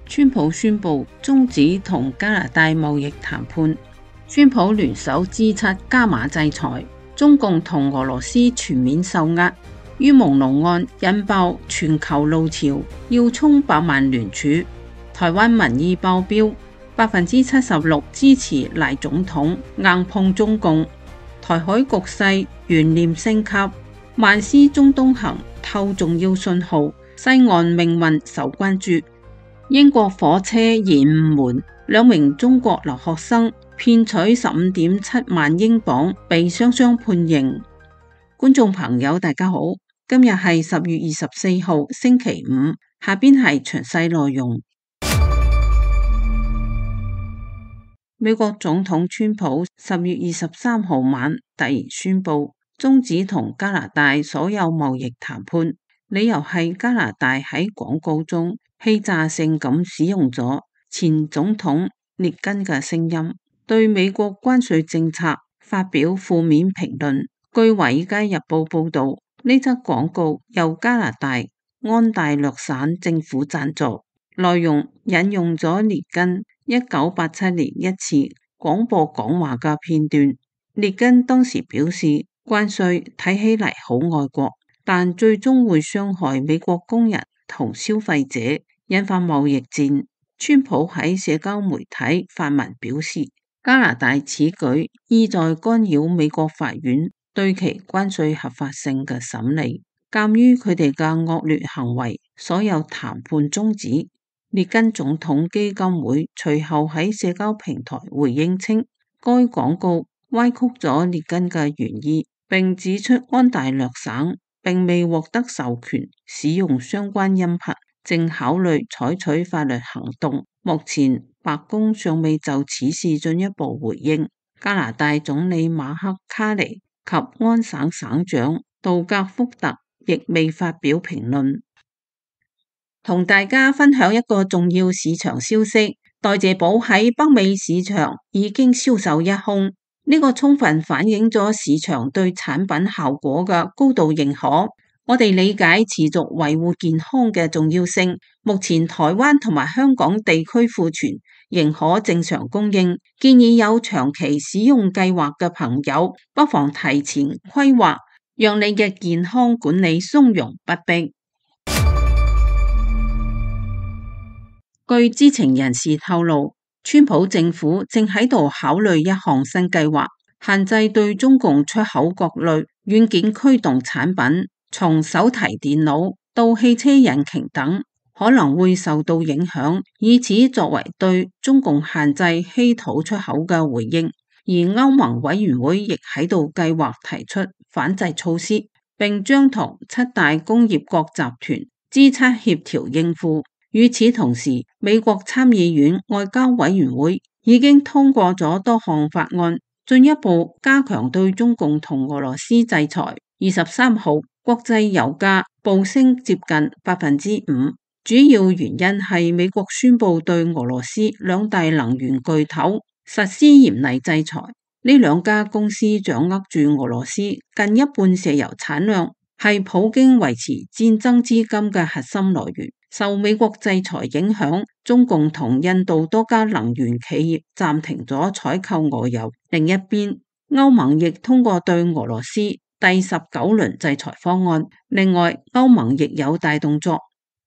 川普宣布終止同加拿大貿易談判，川普聯手 G7 加碼制裁，中共同俄羅斯全面受壓。於朦朧案引爆全球浪潮，要衝百萬聯署。台灣民意爆表，76%支持賴總統，硬碰中共。台海局勢懸念升級，萬斯中東行透重要信號，西岸命運受關注。英國火車延誤門，2名中國留學生騙取15.7萬英鎊，被雙雙判刑。觀眾朋友大家好，今日係10月24號星期五，下邊係詳細內容。美國總統川普10月23號晚突然宣布終止同加拿大所有貿易談判，理由係加拿大喺廣告中欺詐性咁使用咗前總統列根嘅聲音，對美國關稅政策發表負面評論。據《華爾街日報》報道，呢則廣告由加拿大安大略省政府贊助，內容引用咗列根1987年一次廣播講話嘅片段。列根當時表示，關稅睇起嚟好愛國，但最終會傷害美國工人同消費者，引發貿易戰。川普喺社交媒體發文表示，加拿大此舉意在干擾美國法院對其關稅合法性嘅審理。鑒於佢哋嘅惡劣行為，所有談判終止。列根總統基金會隨後喺社交平台回應稱，該廣告歪曲咗列根嘅原意，並指出安大略省並未獲得授權使用相關音頻，正考慮採取法律行動。目前白宮尚未就此事進一步回應。加拿大總理馬克卡尼及安省省長杜格福特亦未發表評論。同大家分享一個重要市場消息，代謝寶喺北美市場已經銷售一空，呢個充分反映咗市場對產品效果嘅高度認可。我哋理解持續維護健康嘅重要性，目前台灣同埋香港地區庫存仍可正常供應，建議有長期使用計劃嘅朋友不妨提前規劃，讓你嘅健康管理從容不迫。據知情人士透露，川普政府正喺度考慮一項新計劃，限制對中共出口各類軟件驅動產品，從手提電腦到汽車引擎等，可能會受到影響，以此作為對中共限制稀土出口嘅回應。而歐盟委員會亦喺度計劃提出反制措施，並將同7大工業國集團 G7 協調應付。與此同時，美國參議院外交委員會已經通過咗多項法案，進一步加強對中共同俄羅斯制裁。23號，國際油價暴升接近 5%， 主要原因係美國宣布對俄羅斯2大能源巨頭實施嚴厲制裁。呢2家公司掌握住俄羅斯近一半石油產量，係普京維持戰爭資金嘅核心來源。受美國制裁影響，中共同印度多家能源企業暫停咗採購俄油。另一邊，歐盟亦通過對俄羅斯第19輪制裁方案。另外，歐盟亦有大動作，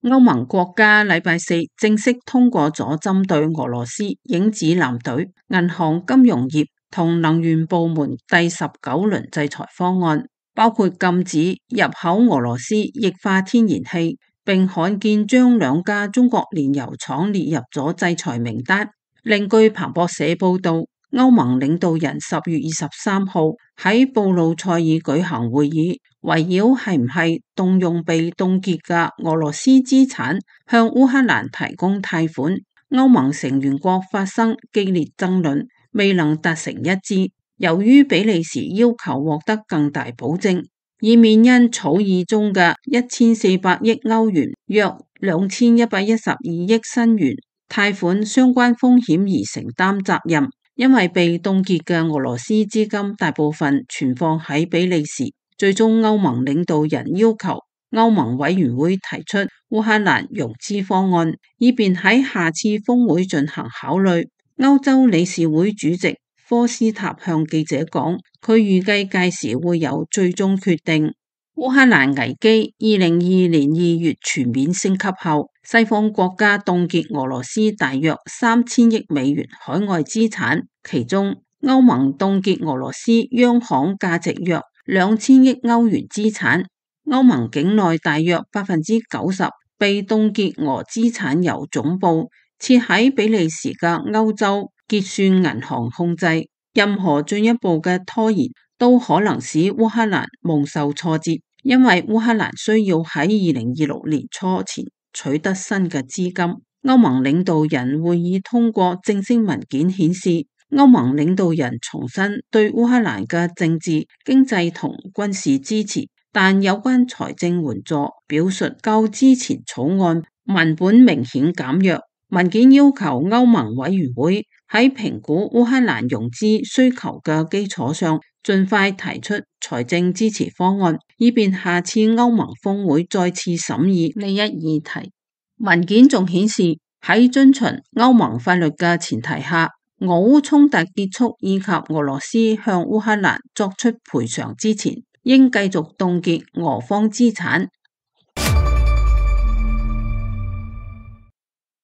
歐盟國家禮拜四正式通過咗針對俄羅斯影子艦隊、銀行、金融業同能源部門第19輪制裁方案，包括禁止入口俄羅斯液化天然氣，並罕見將2家中國煉油廠列入咗制裁名單。另據彭博社報道，歐盟領導人10月23號喺布魯塞爾舉行會議，圍繞係唔係動用被凍結嘅俄羅斯資產向烏克蘭提供貸款。歐盟成員國發生激烈爭論，未能達成一致。由於比利時要求獲得更大保證，以免因草擬中嘅1400億歐元約2112億新元貸款相關風險而承擔責任。因為被凍結嘅俄羅斯資金大部分存放喺比利時，最終歐盟領導人要求歐盟委員會提出烏克蘭融資方案，以便喺下次峰會進行考慮。歐洲理事會主席科斯塔向記者講，佢預計屆時會有最終決定。烏克蘭危機2022年2月全面升級後，西方國家凍結俄羅斯大約3000億美元海外資產，其中歐盟凍結俄羅斯央行價值約2000億歐元資產。歐盟境內大約90%被凍結俄資產由總部設喺比利時嘅歐洲結算銀行控制，任何進一步嘅拖延都可能使烏克蘭蒙受挫折，因為烏克蘭需要喺2026年初前取得新嘅資金。歐盟領導人會議通過正式文件顯示，歐盟領導人重申對烏克蘭嘅政治、經濟同軍事支持，但有關財政援助表述較之前草案文本明顯減弱。文件要求歐盟委員會喺評估烏克蘭融資需求嘅基礎上，盡快提出財政支持方案，以便下次歐盟峰會再次審議呢一議題。文件仲顯示，喺遵循歐盟法律嘅前提下，俄烏衝突結束以及俄羅斯向烏克蘭作出賠償之前，應繼續凍結俄方資產。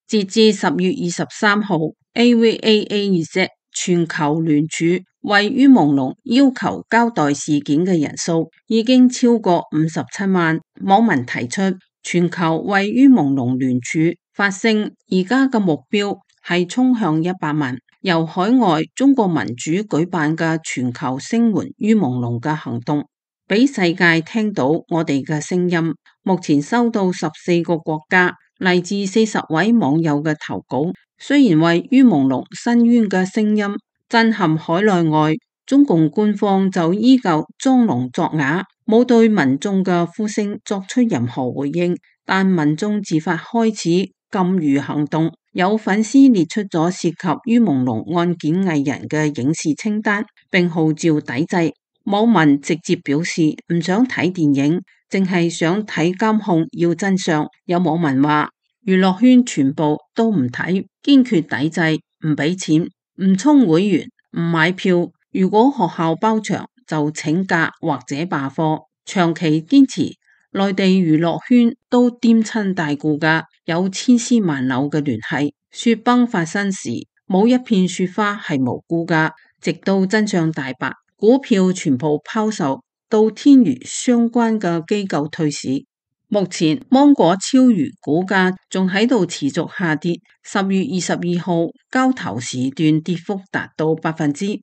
截至10月23號 ，AVAAZ 全球聯署為於朦朧要求交代事件嘅人數已經超過57萬。網民提出，全球為於朦朧聯署發聲，而家嘅目標係衝向100萬。由海外中國民主舉辦嘅全球聲援於朦朧嘅行動，俾世界聽到我哋嘅聲音。目前收到14個國家嚟自40位網友嘅投稿，雖然為於朦朧申冤嘅聲音震撼海內外，中共官方就依舊裝聾作啞，冇對民眾嘅呼聲作出任何回應。但民眾自發開始禁娛行動，有粉絲列出咗涉及於朦朧案件藝人嘅影視清單，並號召抵制。網民直接表示唔想睇電影，淨係想睇監控，要真相。有網民話娛樂圈全部都唔睇，堅決抵制，唔俾錢，唔充會員，唔買票。如果學校包場就請假或者罷課，長期堅持。內地娛樂圈都顛親大故㗎，有千絲萬縷嘅聯繫。雪崩發生時冇一片雪花係無辜㗎，直到真相大白，股票全部拋售，到天娛相關嘅機構退市。目前芒果超娛股價仲喺度持續下跌，10月22號交投時段跌幅達到5%。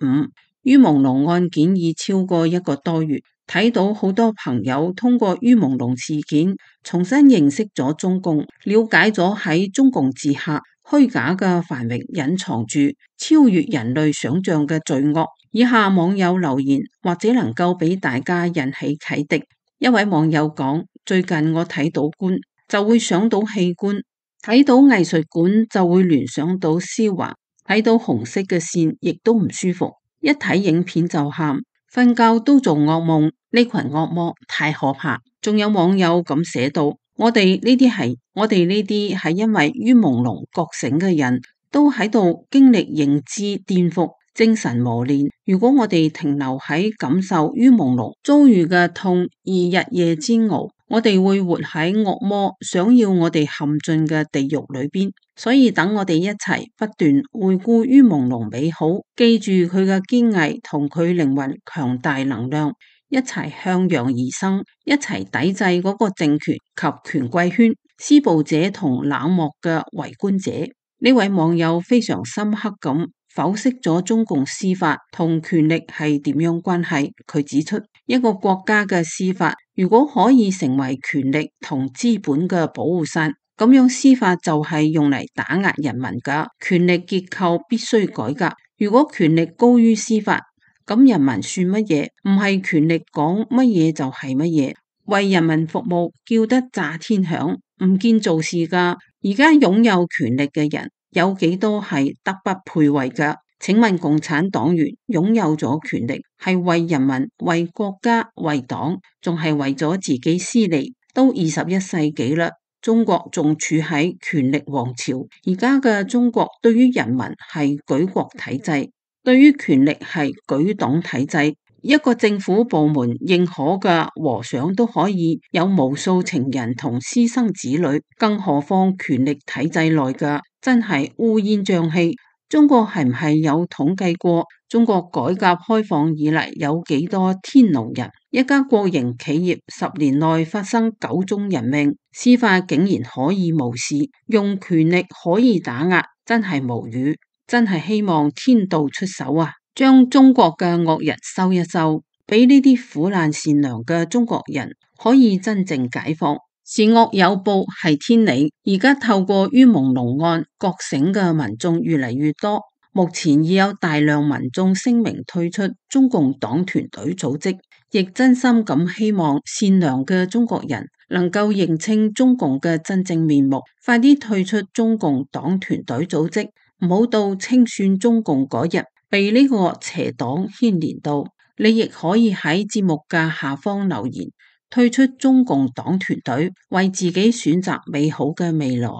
於朦朧案件已超過1個多月，睇到好多朋友通過於朦朧事件重新認識咗中共，了解咗喺中共治下虛假嘅繁榮隱藏住超越人類想象嘅罪惡。以下網友留言或者能夠俾大家引起啟迪。一位網友講，最近我睇到官就會想到器官，睇到藝術館就會聯想到絲滑，睇到紅色嘅線亦都唔舒服，一睇影片就喊，瞓覺都做噩夢，呢群惡魔太可怕。仲有網友咁寫到，我哋呢啲係因為於朦朧覺醒嘅人都喺度經歷認知顛覆、精神磨練。如果我哋停留喺感受於朦朧遭遇嘅痛而日夜煎熬，我哋會活喺惡魔想要我哋陷進嘅地獄裏邊。所以等我哋一齊不斷回顧於朦朧美好，記住佢嘅堅毅同佢靈魂強大能量，一齊向陽而生，一齊抵制嗰個政權及權貴圈施暴者同冷漠嘅圍觀者。呢位網友非常深刻咁剖析咗中共司法同權力係點樣關係。佢指出，一個國家嘅司法如果可以成為權力同資本嘅保護傘，咁樣司法就係用嚟打壓人民㗎，權力結構必須改革。如果權力高於司法，咁人民算乜嘢？唔係權力講乜嘢就係乜嘢，為人民服務叫得炸天響，唔見做事㗎。而家擁有權力嘅人有幾多係德不配位㗎？請問共產黨員擁有咗權力係為人民、為國家、為黨，仲係為咗自己私利？都21世紀啦，中國仲處喺權力王朝。而家嘅中國對於人民係舉國體制，對於權力係舉黨體制。一個政府部門認可嘅和尚都可以有無數情人同私生子女，更何況權力體制內嘅，真係烏煙瘴氣。中國係唔係有統計過中國改革開放以嚟有幾多天奴人？一家國營企業10年內發生9宗人命，司法竟然可以無視，用權力可以打壓，真係無語，真係希望天道出手啊！將中國嘅惡人收一收，俾呢啲苦難善良嘅中國人可以真正解放。善惡有報係天理，而家透過於朦朧案覺醒嘅民眾越嚟越多，目前已有大量民眾聲明退出中共黨團隊組織，亦真心咁希望善良嘅中國人能夠認清中共嘅真正面目，快啲退出中共黨團隊組織，唔好到清算中共嗰日被呢個邪黨牽連到。你亦可以喺節目嘅下方留言，退出中共黨團隊，為自己選擇美好嘅未來。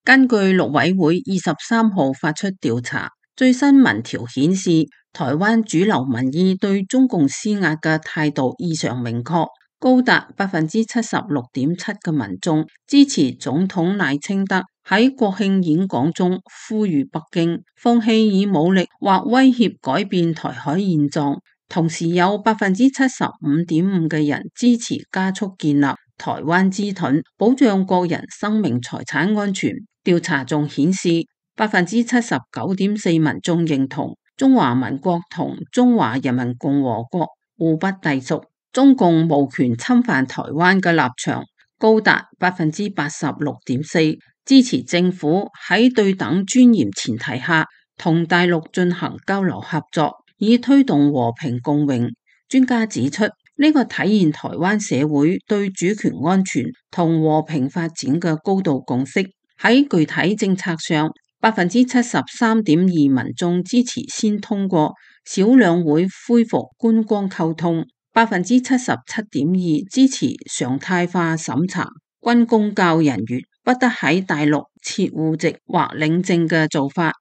根據陸委會23號發出調查，最新民調顯示，台灣主流民意對中共施壓嘅態度異常明確，高達76.7%嘅民眾支持總統賴清德喺國慶演講中呼籲北京放棄以武力或威脅改變台海現狀，同時有75.5%嘅人支持加速建立台灣之盾，保障個人生命財產安全。調查仲顯示，79.4%民眾認同中華民國同中華人民共和國互不隸屬，中共無權侵犯台灣嘅立場高達86.4%，支持政府喺對等尊嚴前提下同大陸進行交流合作，以推動和平共榮。專家指出，呢個體現台灣社會對主權安全同和平發展嘅高度共識。喺具體政策上，73.2%民眾支持先通過小兩會恢復觀光溝通，77.2%支持常態化審查軍公教人員不得喺大陸設戶籍或領證嘅做法。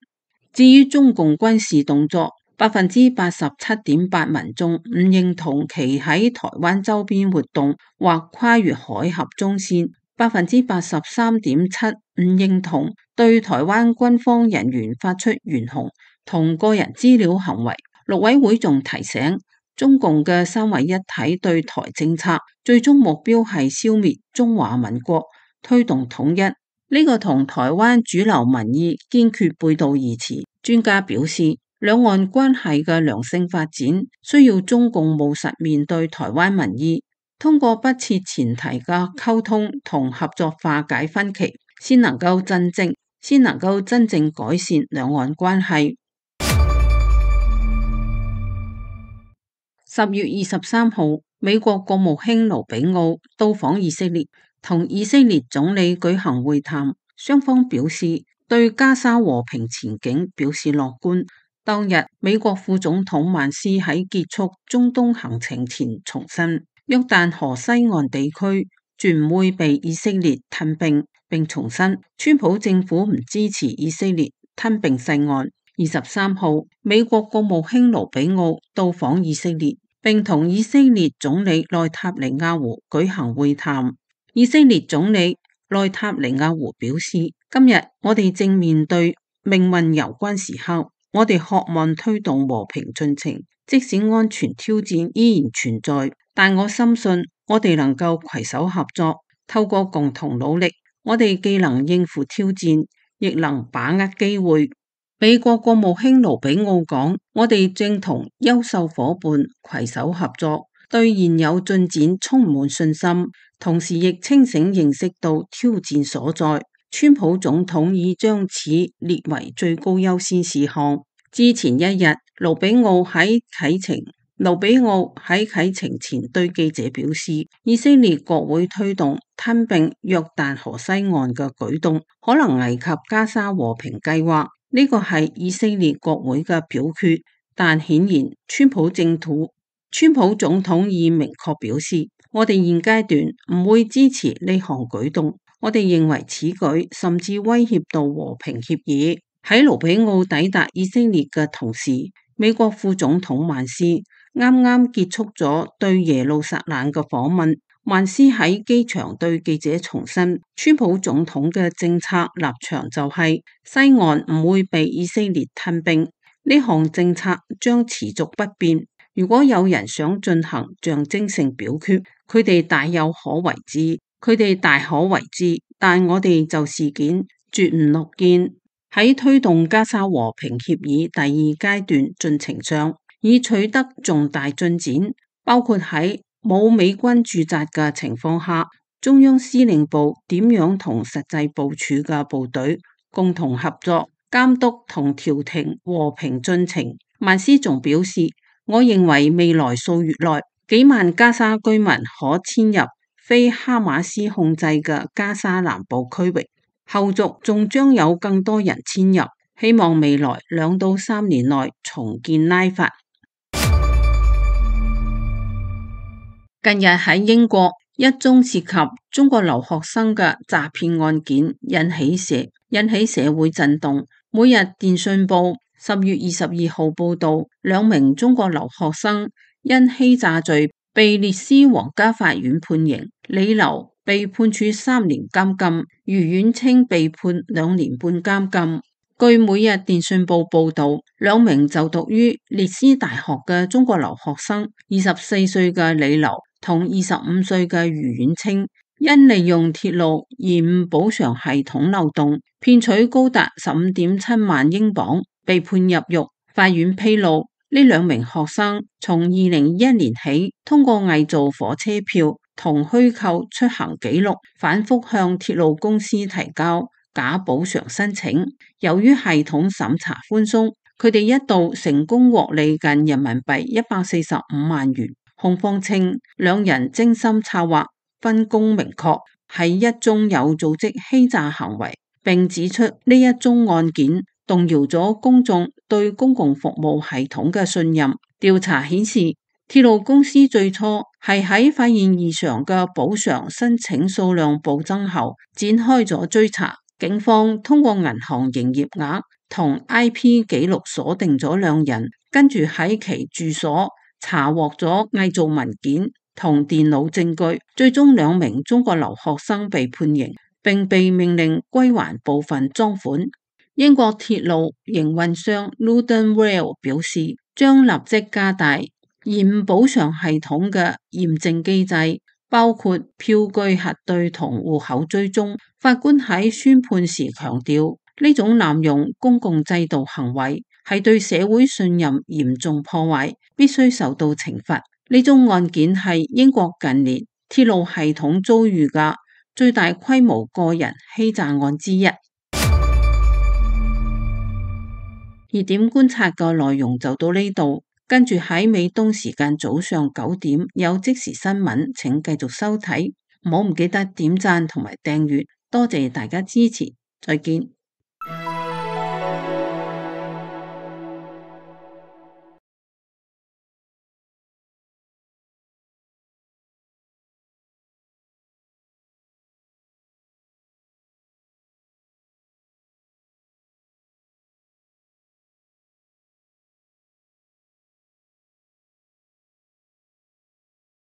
至於中共軍事動作，87.8%民眾唔認同其喺台灣周邊活動或跨越海峽中線，83.7%唔認同對台灣軍方人員發出懸紅同個人資料行為。陸委會仲提醒，中共嘅三位一體對台政策最終目標係消滅中華民國，推動統一，呢個同台灣主流民意堅決背道而馳。專家表示，兩岸關係嘅良性發展需要中共務實面對台灣民意，通過不設前提嘅溝通同合作化解分歧，先能夠真正改善兩岸關係。10月23號，美國國務卿盧比奧到訪以色列，同以色列總理舉行會談，雙方表示對加沙和平前景表示樂觀。當日，美國副總統曼斯喺結束中東行程前重申，約旦河西岸地區絕唔會被以色列吞併，並重申川普政府唔支持以色列吞併西岸。23號，美國國務卿盧比奧到訪以色列，並同以色列總理內塔尼亞胡舉行會談。以色列總理內塔尼亞胡表示，今日我哋正面對命運攸關時刻，我哋渴望推動和平進程，即使安全挑戰依然存在，但我深信我哋能夠攜手合作，透過共同努力，我哋既能應付挑戰，亦能把握機會。美國國務卿盧比奧講，我哋正同優秀夥伴攜手合作，對現有進展充滿信心，同時亦清醒認識到挑戰所在。川普總統已將此列為最高優先事項。之前一日，盧比奧喺啟程前對記者表示，以色列國會推動吞併約旦河西岸嘅舉動，可能危及加沙和平計劃。呢個係以色列國會嘅表決，但顯然川普川普總統已明確表示，我哋現階段唔會支持呢項舉動。我哋認為此舉甚至威脅到和平協議。喺盧比奧抵達以色列嘅同時，美國副總統曼斯啱啱結束咗對耶路撒冷嘅訪問。曼斯喺機場對記者重申，川普總統嘅政策立場就係西岸唔會被以色列吞並，呢項政策將持續不變。如果有人想進行象徵性表決，佢哋大可為之，但我哋就事件絕唔樂見。喺推動加沙和平協議第二階段進程上，已取得重大進展，包括喺冇美軍駐紮嘅情況下，中央司令部點樣同實際部署嘅部隊共同合作，監督同調停和平進程。曼斯仲表示，我認為未來數月內，幾萬加沙居民可遷入非哈馬斯控制嘅加沙南部區域，後續仲將有更多人遷入，希望未來2到3年內重建拉法。近日喺英國，一宗涉及中國留學生嘅詐騙案件引起社會震動。每日電訊報10月22號報道，2名中國留學生因欺詐罪被列斯皇家法院判刑，李劉被判處3年監禁，余遠清被判2年半監禁。據每日電訊報報道，2名就讀於列斯大學嘅中國留學生，24歲嘅李劉同25歲嘅余遠清，因利用鐵路延誤補償系統漏洞，騙取高達15.7萬英鎊，被判入獄。法院披露，呢2名學生從2021年起，通過偽造火車票同虛構出行記錄，反覆向鐵路公司提交假補償申請。由於系統審查寬鬆，佢哋一度成功獲利近人民幣145萬元。控方稱2人精心策劃，分工明確，係一宗有組織欺詐行為，並指出呢一宗案件動搖咗公眾對公共服務系統嘅信任。調查顯示，鐵路公司最初係喺發現異常嘅補償申請數量暴增後，展開咗追查。警方通過銀行營業額同 IP 記錄鎖定咗2人，跟住喺其住所查獲咗偽造文件同電腦證據，最終2名中國留學生被判刑，並被命令歸還部分贓款。英國鐵路營運商 Luton Rail 表示，將立即加大延誤補償系統嘅驗證機制，包括票據核對同戶口追蹤。法官喺宣判時強調，呢種濫用公共制度行為係對社會信任嚴重破壞，必須受到懲罰。呢宗案件係英國近年鐵路系統遭遇嘅最大規模個人欺詐案之一。熱點觀察嘅內容就到呢度，跟住喺美東時間早上9點有即時新聞，請繼續收睇，唔記得點讚同埋訂閱，多謝大家支持，再見。